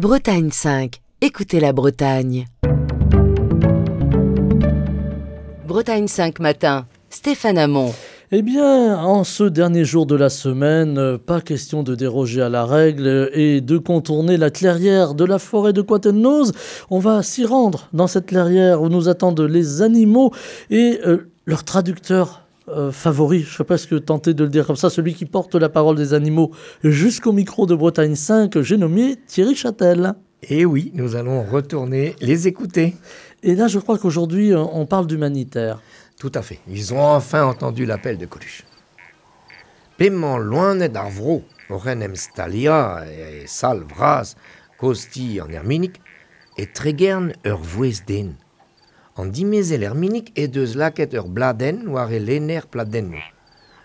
Bretagne 5, écoutez la Bretagne. Bretagne 5 matin, Stéphane Hamon. Eh bien, en ce dernier jour de la semaine, pas question de déroger à la règle et de contourner la clairière de la forêt de Coatennoz. On va s'y rendre dans cette clairière où nous attendent les animaux et leur traducteur favori, je serais presque tenté de le dire comme ça, celui qui porte la parole des animaux jusqu'au micro de Bretagne 5, j'ai nommé Thierry Châtel. Et oui, nous allons retourner les écouter. Et là, je crois qu'aujourd'hui, on parle d'humanitaire. Tout à fait. Ils ont enfin entendu l'appel de Coluche. P'emañ loened ar vro oc'h en em staliañ e sal vras kozh-ti an Erminig e tregern ur vouezh den. An dimezell Erminig he deus lakaet ur bladenn war e lenner pladennoù.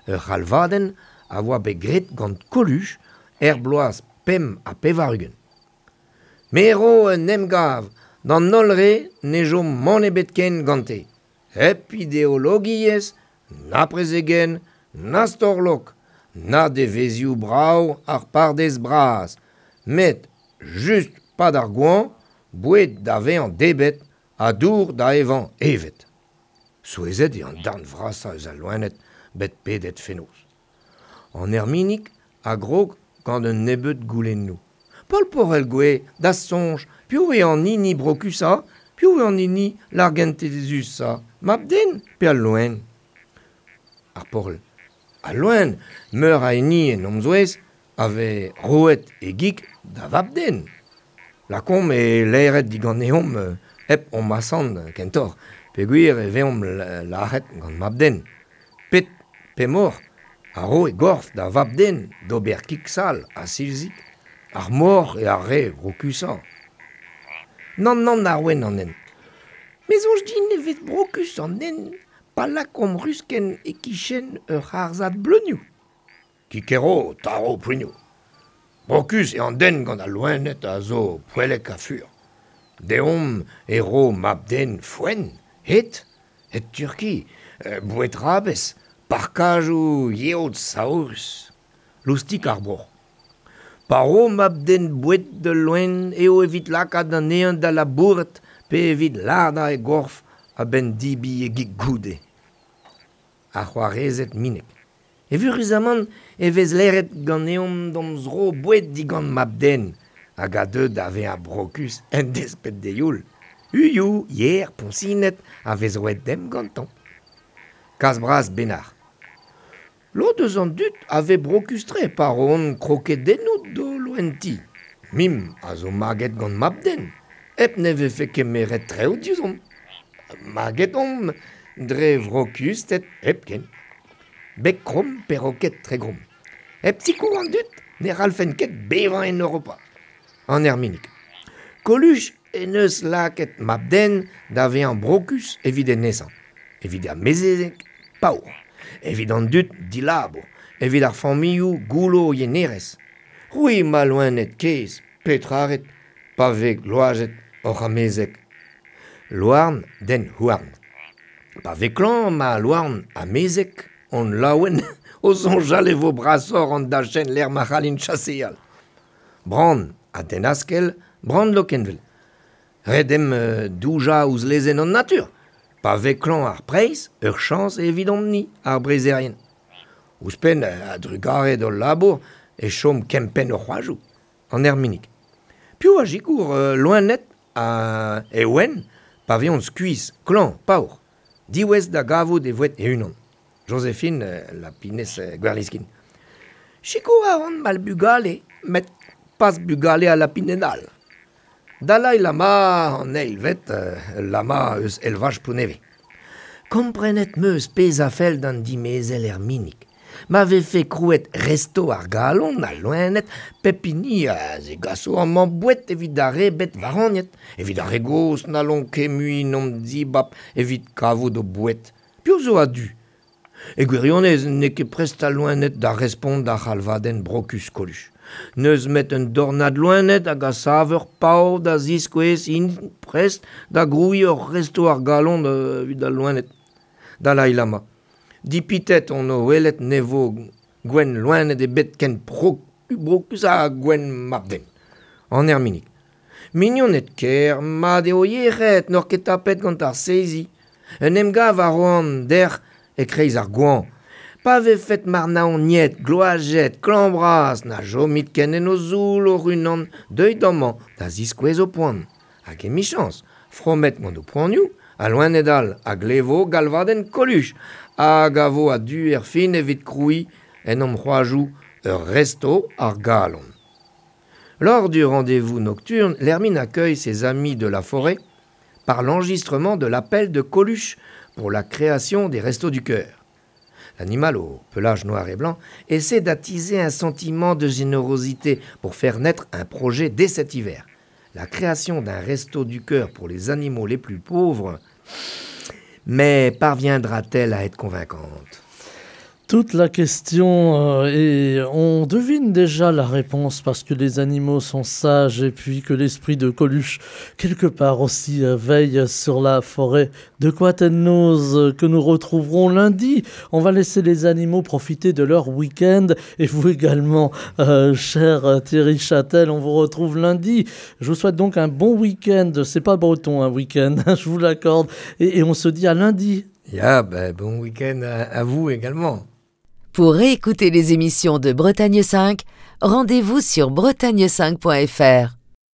Ur c'halvadenn a oa bet graet gant Coluche er bloaz 85. Me ro un emgav d'an holl re ne chom mann ebet ken gante. Hep ideologiezh, na prezegenn, na storlok, na devezhioù brav ar pardaez bras, met just 'pad ar goañv, boued da vezañ debret ha dour da evañ evet. Souezhet eo an darn vrasañ eus al loened bet pedet fenoz. An Erminig a grog gant un nebeud goulennoù. Paol Porel-Gouez, da'z soñj, piv eo an hini brokusañ, piv eo an hini largentezusañ, mab-den pe al loen? Ar Porel. Al loen, meur a hini en hom zouez, a vez roet e gig da vab-den. Lakaomp e laeret diganeomp hep hom asant kentoc'h, peogwir e vezomp lazhet gant mab-den. Pet pemoc'h a ro e gorf da vab-den d'ober kig-sall ha silzig? Ar moc'h eo ar re vrokusañ. Nann, nann, Arwen an hent. Me soñj din e vez brokus an den pa lakaomp ruskenn e-kichen ur c'harzhad bleunioù. Kikero, tarv, prignoù. Brokus eo an den gant al loened a zo poellek ha fur. Deomp e ro mab-den foenn, hed, hed-Turki, boued-rabez, parkajoù yeot saourus. Loustik ar broc'h. Pa ro mab-den boued d'ul loen eo evit lakaat anezhañ da labourat pe evit lardañ e gorf a-benn debriñ e gig goude. Ar c'hoarezed minek. Evuruzamant e vez laeret ganeomp d'hon zro boued digant mab-den hag a deu da vezañ brokus en desped d'e youl. Uioù, yer, poñsined a vez roet demp gantañ. Kas bras Benac'h. Lod eus an dud a vez brokus-tre pa roont krokedennoù d'o loen-ti. Mimp a zo maget gant mab-den, hep ne vefe kemeret traoù diouzhomp. Maget omp dre vrokusted hepken. Beg kromm peroked Tregrom. Hep sikour an dud ne c'hallfen ket bevañ en Europa. An Erminig. Coluche en deus lakaet mab-den da vezañ brokus evit e nesañ, evit ar mezeg paour, evit an dud dilabour, evit ar familhoù goullo o yenerezh. C'hwi ma loened kaezh, petra 'rit pa vez gloazet hoc'h amezeg? Louarn den houarn. Pa vez klañv ma louarn amezeg on laouen o soñjal e vo brasoc'h an dachenn lec'h ma c'hallin chaseal. Bran ha den-askell, Bran Lokenvel. Ret eo doujañ ouzh lezenn an natur. Pa vez klañv ar preizh, ur chañs eo evidomp-ni, ar breizherien. Ouzhpenn, a-drugarez d'hol labour, e chom kempenn hor c'hoajoù, an Erminig. Piv a sikour loened ha e ouenn pa vezont skuizh, klañv, paour, diwezh da gavout e voued e-unan? Joséphine Lapinez Gwerliskin. Sikour a ran ma bugale, met pas bugale al lapined all. Dalai Lama an eilvet, ul lama eus elvaj Plounevez. Komprenet 'm eus pezh a fell d'an dimezell Erminig. Ma vefe krouet resto ar galon, al loened, pep hini a zegaso amañ boued evit ar re bet waraniet, evit ar re gozh n'hallont ket mui 'n em zibab evit kavout o boued. Piv zo a-du? E gwirionez n'eo ket prest al loened da respont d'ar c'halvadenn brokus Coluche. N'eus 'met un dornad loened hag a sav ur pav da ziskouez int prest da grouiñ ur resto ar galon evit al loened. Dalai Lama. Dipitet on o welet ne vo gouenn loened ebet ken brokus ha gouenn mab-den. An Erminig. Mignoned ker, mat eo yec'hed, n'oc'h ket tapet gant ar seizi. Un emgav a roan dec'h e kreiz ar goañv. Pa vefet marnaoniet, gloajet, klañv-bras, na chomit ken en ho zoull hoc'h-unan, deuit amañ da ziskouez ho poan. Hag emichañs, fromet gant ho poanioù, al loened all a glevo galvadenn Coluche hag a vo a-du erfin evit krouiñ en hom c'hoajoù ur resto ar galon. Lors du rendez-vous nocturne, l'hermine accueille ses amis de la forêt par l'enregistrement de l'appel de Coluche pour la création des Restos du Cœur. L'animal au pelage noir et blanc essaie d'attiser un sentiment de générosité pour faire naître un projet dès cet hiver. La création d'un resto du cœur pour les animaux les plus pauvres, mais parviendra-t-elle à être convaincante Toute la question euh, et on devine déjà la réponse parce que les animaux sont sages et puis que l'esprit de Coluche quelque part aussi euh, veille sur la forêt de Quatennoz euh, que nous retrouverons lundi. On va laisser les animaux profiter de leur week-end et vous également, euh, cher Thierry Châtel, on vous retrouve lundi. Je vous souhaite donc un bon week-end. C'est pas breton un week-end, je vous l'accorde. Et, et on se dit à lundi. Ya, ben, bon week-end à, à vous également. Pour réécouter les émissions de Bretagne 5, rendez-vous sur bretagne5.fr.